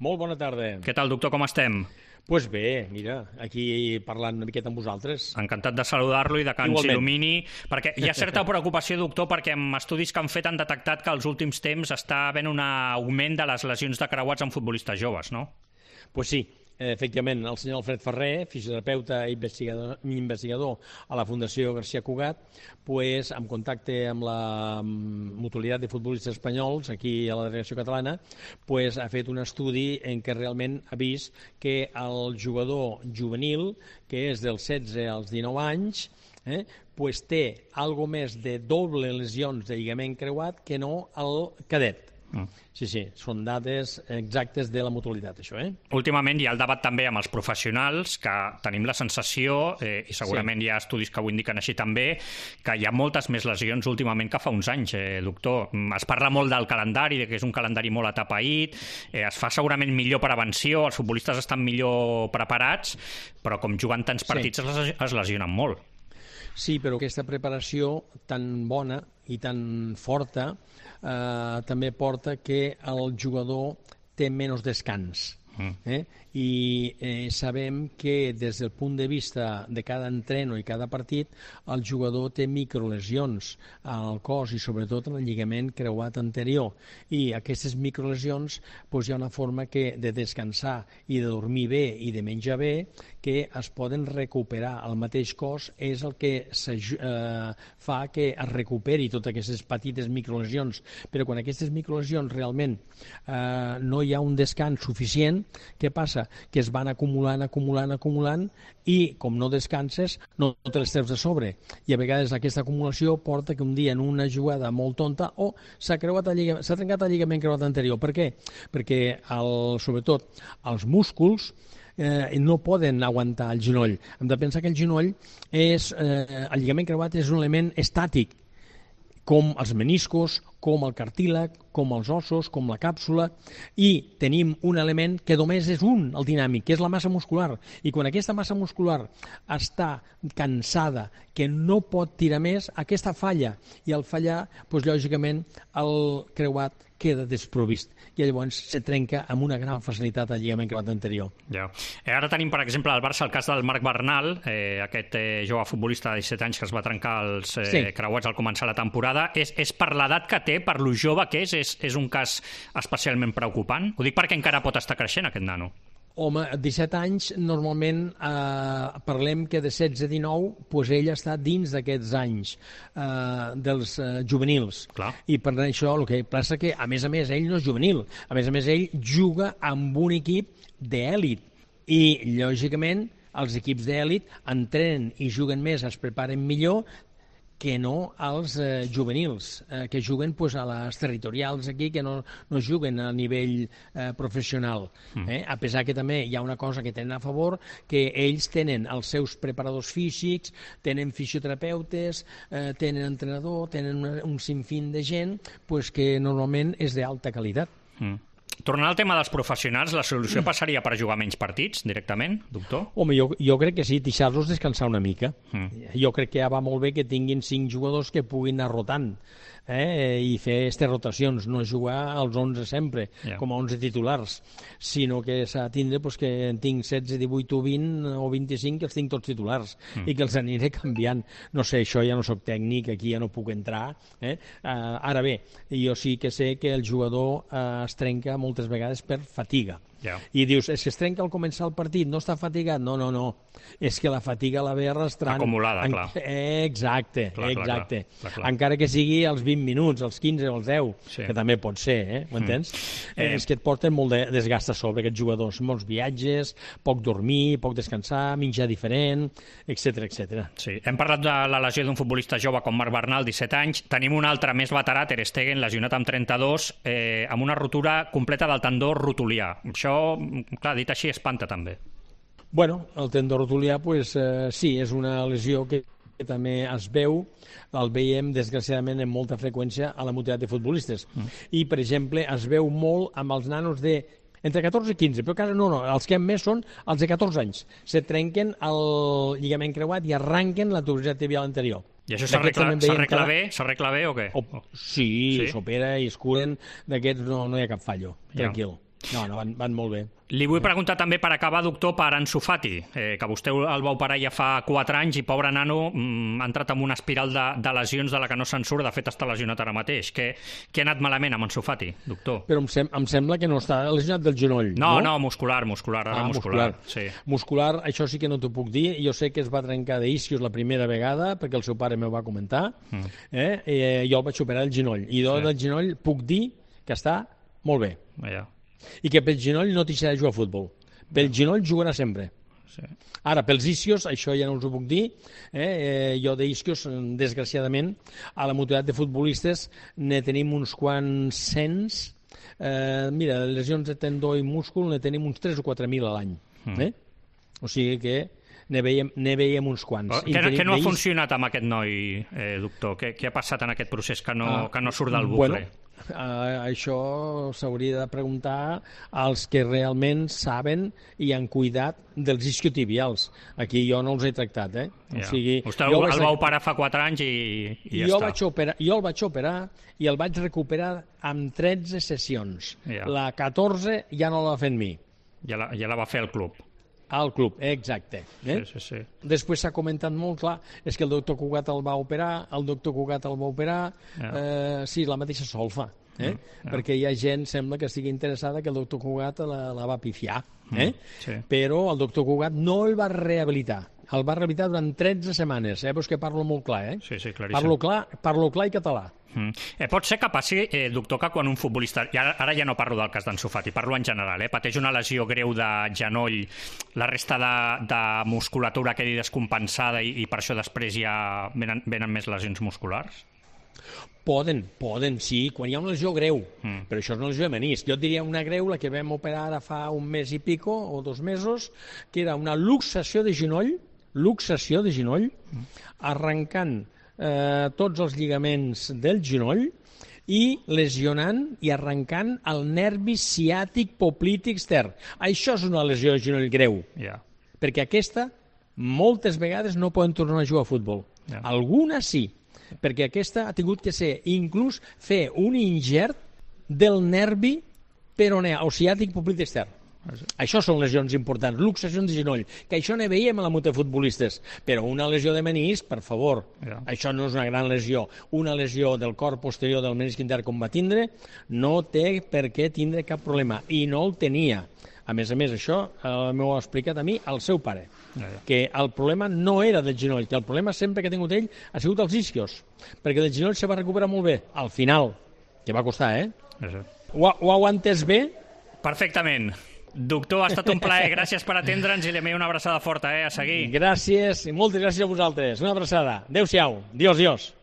Molt bona tarda. Què tal, doctor, com estem? Doncs bé, mira, aquí parlant una miqueta amb vosaltres. Encantat de saludar-lo i de que ens Igualment. il·lumini, perquè hi ha certa preocupació, doctor, perquè amb estudis que han fet han detectat que als últims temps està havent un augment de les lesions de creuats en futbolistes joves, no? Doncs sí, efectivament, el senyor Alfred Ferrer, fisioterapeuta i investigador a la Fundació García Cugat, pues, en contacte amb la Mutualitat de Futbolistes Espanyols, aquí a la delegació catalana, pues, ha fet un estudi en què realment ha vist que el jugador juvenil, que és dels 16 als 19 anys, pues, té algo més de doble lesions de lligament creuat que no el cadet. Sí, són dades exactes de la mutualitat, això. Últimament hi ha el debat també amb els professionals, que tenim la sensació, i segurament hi ha estudis que ho indiquen així també, que hi ha moltes més lesions últimament que fa uns anys, doctor. Es parla molt del calendari, que és un calendari molt atapeït, es fa segurament millor prevenció, els futbolistes estan millor preparats, però com juguen tants partits es lesionen molt. Sí, però aquesta preparació tan bona i tan forta també porta que el jugador té menys descans. I sabem que des del punt de vista de cada entreno i cada partit el jugador té microlesions al cos i sobretot en el lligament creuat anterior, i aquestes microlesions hi ha una forma de descansar i de dormir bé i de menjar bé que es poden recuperar. El mateix cos és el que fa que es recuperi totes aquestes petites microlesions, però quan aquestes microlesions realment no hi ha un descans suficient, què passa? Que es van acumulant i com no descanses no te les treus de sobre, i a vegades aquesta acumulació porta que un dia en una jugada molt tonta s'ha trencat el lligament creuat anterior. Per què? Perquè sobretot els músculs no poden aguantar el genoll. Hem de pensar que el genoll el lligament creuat és un element estàtic, com els meniscos, com el cartílag, com els ossos, com la càpsula, i tenim un element que només és un, el dinàmic, que és la massa muscular. I quan aquesta massa muscular està cansada, que no pot tirar més, aquesta falla. I al fallar, lògicament, el creuat queda desprovist i llavors se trenca amb una gran facilitat el lligament creuat anterior. Ja. Ara tenim, per exemple, al Barça el cas del Marc Bernal, aquest jove futbolista de 17 anys que es va trencar els creuats al començar la temporada. És per l'edat que té, per lo jove que és un cas especialment preocupant? Ho dic perquè encara pot estar creixent aquest nano. Home, 17 anys, normalment parlem que de 16-19, ell està dins d'aquests anys dels juvenils. Clar. I per això el que passa que, a més, ell no és juvenil. A més, ell juga amb un equip d'èlit. I, lògicament, els equips d'èlit entrenen i juguen més, es preparen millor, que no als juvenils, que juguen a les territorials aquí, que no juguen a nivell professional. A pesar que també hi ha una cosa que tenen a favor, que ells tenen els seus preparadors físics, tenen fisioterapeutes, tenen entrenador, tenen un sinfín de gent que normalment és d'alta qualitat. Tornant al tema dels professionals, la solució passaria per jugar menys partits directament, doctor? Home, jo crec que sí, deixar-los descansar una mica. Jo crec que ja va molt bé que tinguin 5 jugadors que puguin anar rotant i fer aquestes rotacions, no jugar als 11 sempre, com a 11 titulars, sinó que s'ha de tindre que en tinc 16, 18 o 20 o 25 que els tinc tots titulars i que els aniré canviant. No sé, això ja no soc tècnic, aquí ja no puc entrar. Ara bé, jo sí que sé que el jugador es trenca moltes vegades per fatiga. I dius, és que es trenca al començar el partit, no està fatigat? No. És que la fatiga la ve arrastrant. Acumulada, clar. Exacte. Clar. Encara que sigui als 20 minuts, als 15 o als 10, que també pot ser, ho entens? És que et porten molt de desgast a sobre aquests jugadors, molts viatges, poc dormir, poc descansar, menjar diferent, etc. Sí. Hem parlat de la lesió d'un futbolista jove com Marc Bernal, 17 anys. Tenim un altre més veterà, Ter Stegen, lesionat amb 32, amb una rotura completa del tendó rotulià. Això, clar, dit així, espanta també. Bueno, el tendó rotulià, sí, és una lesió que també es veu, el veiem desgraciadament amb molta freqüència a la mutualitat de futbolistes. I, per exemple, es veu molt amb els nanos entre 14 i 15, però no, els que més són els de 14 anys. Se trenquen el lligament creuat i arranquen la tuberositat tibial anterior. I això s'arregla bé o què? Sí, s'opera i es curen, d'aquests no hi ha cap fallo, tranquil. No, van molt bé. Li vull preguntar també, per acabar, doctor, per Ansu Fati, que vostè el va operar ja fa 4 anys i, pobre nano, ha entrat en una espiral de lesions de la que no se'n surt. De fet, està lesionat ara mateix. Què ha anat malament amb Ansu Fati, doctor? Però em sembla que no està lesionat del genoll, no? No, muscular. Muscular. Sí. Muscular, això sí que no t'ho puc dir. Jo sé que es va trencar d'isquios la primera vegada, perquè el seu pare m'ho va comentar. Jo el vaig operar el genoll. I del genoll puc dir que està molt bé. I que pel genoll no deixarà de jugar a futbol. Pel genoll jugarà sempre. Sí. Ara, pels isquios, això ja no us ho puc dir. Jo d'isquios, desgraciadament, a la mutualitat de futbolistes ne tenim uns quants cents. Mira, lesions de tendó i múscul ne tenim uns 3 o 4.000 a l'any. O sigui que ne veiem uns quants. Què no ha funcionat amb aquest noi, doctor? Què ha passat en aquest procés que no surt del bucle? Això s'hauria de preguntar als que realment saben i han cuidat dels isquiotibials. Aquí jo no els he tractat, O sigui, vostè el va operar fa 4 anys i ja està. Jo el vaig operar i el vaig recuperar amb 13 sessions. La 14 ja no l'ha fet mi. Ja la va fer el club. Al club, exacte. Sí. Després s'ha comentat molt clar, és que el doctor Cugat el va operar, sí, la mateixa solfa, perquè hi ha gent, sembla que estigui interessada que el doctor Cugat la va pifiar, però el doctor Cugat no el va rehabilitar. El va rehabilitar durant 13 setmanes. Veus que parlo molt clar, Sí, claríssim. Parlo clar i català. Pot ser que passi, doctor, que quan un futbolista, i ara ja no parlo del cas d'Ansu Fati, parlo en general, pateix una lesió greu de genoll, la resta de musculatura quedi descompensada i per això després ja venen més lesions musculars? Poden, sí, quan hi ha una lesió greu, però això és una lesió de menisc. Jo et diria una greu, la que vam operar ara fa un mes i pico, o 2 mesos, que era una luxació de genoll, arrencant tots els lligaments del genoll i lesionant i arrencant el nervi ciàtic poplític extern. Això és una lesió de genoll greu, perquè aquesta moltes vegades no poden tornar a jugar a futbol. Algunes sí, perquè aquesta ha tingut que ser inclús fer un ingert del nervi peroneal o ciàtic poplític extern. Això són lesions importants, luxacions de genoll, que això ne veiem a la muta de futbolistes, però una lesió de menisc, per favor, això no és una gran lesió. Una lesió del cor posterior del menisc intern com va tindre no té per què tindre cap problema, i no el tenia. A més, això m'ho ha explicat a mi el seu pare, que el problema no era del genoll, que el problema sempre que ha tingut ell ha sigut els isquios, perquè del genoll se va recuperar molt bé, al final, que va costar, Ho heu entès bé? Perfectament. Doctor, ha estat un plaer, gràcies per atendre'ns i li envio una abraçada forta, a seguir. Gràcies, i moltes gràcies a vosaltres. Una abraçada. Adéu-siau. Dios.